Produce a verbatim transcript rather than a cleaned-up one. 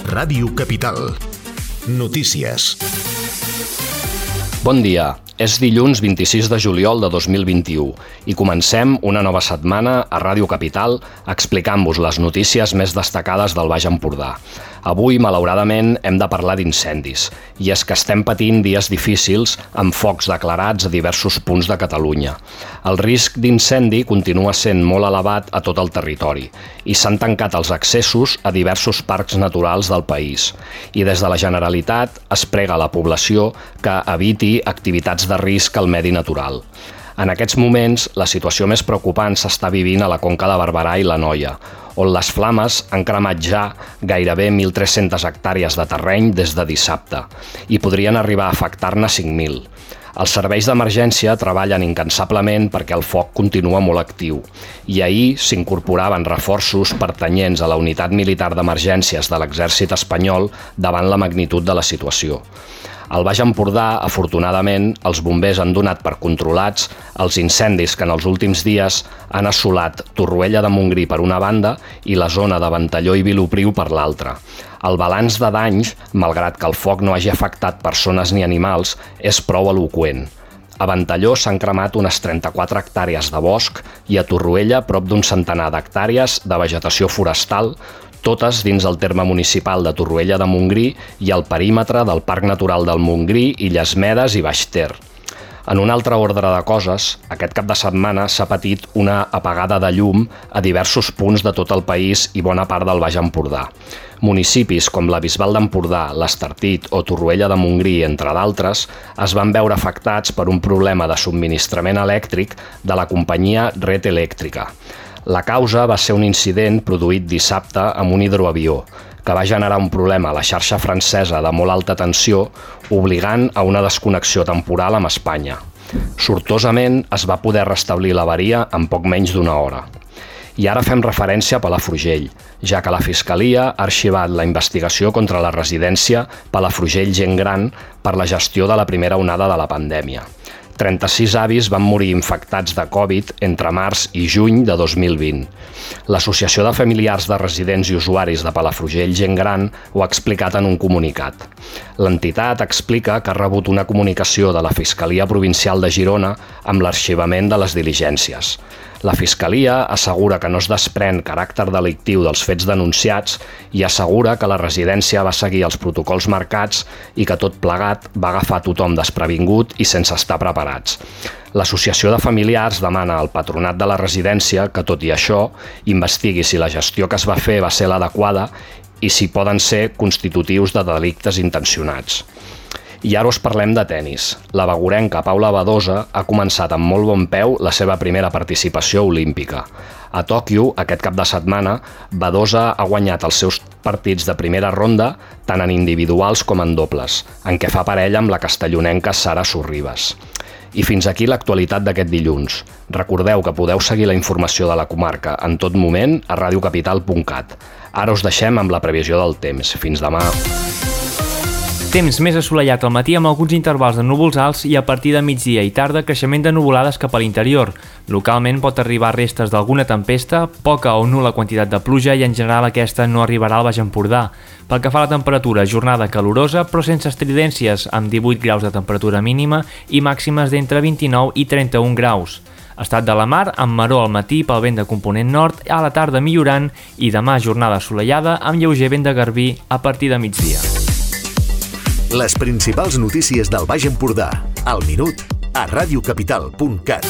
Ràdio Capital. Notícies. Bon dia. És dilluns vint-i-sis de juliol de dos mil vint-i-u i comencem una nova setmana a Ràdio Capital explicant-vos les notícies més destacades del Baix Empordà. Avui, malauradament, hem de parlar d'incendis, i és que estem patint dies difícils amb focs declarats a diversos punts de Catalunya. El risc d'incendi continua sent molt elevat a tot el territori i s'han tancat els accessos a diversos parcs naturals del país. I des de la Generalitat es prega a la població que eviti activitats de risc al medi natural. En aquests moments, la situació més preocupant s'està vivint a la Conca de Barberà i l'Anoia, on les flames han cremat ja gairebé mil tres-centes hectàrees de terreny des de dissabte i podrien arribar a afectar-ne cinc mil. Els serveis d'emergència treballen incansablement perquè el foc continua molt actiu i ahir s'incorporaven reforços pertanyents a la Unitat Militar d'Emergències de l'Exèrcit espanyol davant la magnitud de la situació. Al Baix Empordà, afortunadament, els bombers han donat per controlats els incendis que en els últims dies han assolat Torroella de Montgrí per una banda i la zona de Ventalló i Vilopriu per l'altra. El balanç de danys, malgrat que el foc no hagi afectat persones ni animals, és prou eloqüent. A Ventalló s'han cremat unes trenta-quatre hectàrees de bosc i a Torroella prop d'un centenar d'hectàrees de vegetació forestal, totes dins el terme municipal de Torroella de Montgrí i al perímetre del Parc Natural del Montgrí, Illes Medes i Baix Ter. En un altre ordre de coses, aquest cap de setmana s'ha patit una apagada de llum a diversos punts de tot el país i bona part del Baix Empordà. Municipis com la Bisbal d'Empordà, l'Estartit o Torroella de Montgrí, entre d'altres, es van veure afectats per un problema de subministrament elèctric de la companyia Red Elèctrica. La causa va ser un incident produït dissabte amb un hidroavió, que va generar un problema a la xarxa francesa de molt alta tensió, obligant a una desconnexió temporal amb Espanya. Sortosament es va poder restablir l'avaria en poc menys d'una hora. I ara fem referència a Palafrugell, ja que la Fiscalia ha arxivat la investigació contra la residència Palafrugell Gent Gran per la gestió de la primera onada de la pandèmia. trenta-sis avis van morir infectats de Covid entre març i juny de dos mil vint. L'Associació de Familiars de Residents i Usuaris de Palafrugell Gent Gran ho ha explicat en un comunicat. L'entitat explica que ha rebut una comunicació de la Fiscalia Provincial de Girona amb l'arxivament de les diligències. La Fiscalia assegura que no es desprèn caràcter delictiu dels fets denunciats i assegura que la residència va seguir els protocols marcats i que tot plegat va agafar tothom desprevingut i sense estar preparats. L'Associació de Familiars demana al Patronat de la residència que, tot i això, investigui si la gestió que es va fer va ser l'adequada i si poden ser constitutius de delictes intencionats. I ara us parlem de tenis. La bagurenca Paula Badosa ha començat amb molt bon peu la seva primera participació olímpica. A Tòquio, aquest cap de setmana, Badosa ha guanyat els seus partits de primera ronda tant en individuals com en dobles, en què fa parella amb la castellonenca Sara Sorribas. I fins aquí l'actualitat d'aquest dilluns. Recordeu que podeu seguir la informació de la comarca en tot moment a radiocapital punt cat. Ara us deixem amb la previsió del temps. Fins demà. Temps més assolellat al matí amb alguns intervals de núvols alts i a partir de migdia i tarda creixement de nuvolades cap a l'interior. Localment pot arribar restes d'alguna tempesta, poca o nul·la quantitat de pluja i en general aquesta no arribarà al Baix Empordà. Pel que fa a la temperatura, jornada calorosa però sense estridències, amb divuit graus de temperatura mínima i màximes d'entre vint-i-nou i trenta-un graus. Estat de la mar amb maror al matí pel vent de component nord, a la tarda millorant i demà jornada assolellada amb lleuger vent de garbí a partir de migdia. Les principals notícies del Baix Empordà, al minut, a radiocapital punt cat.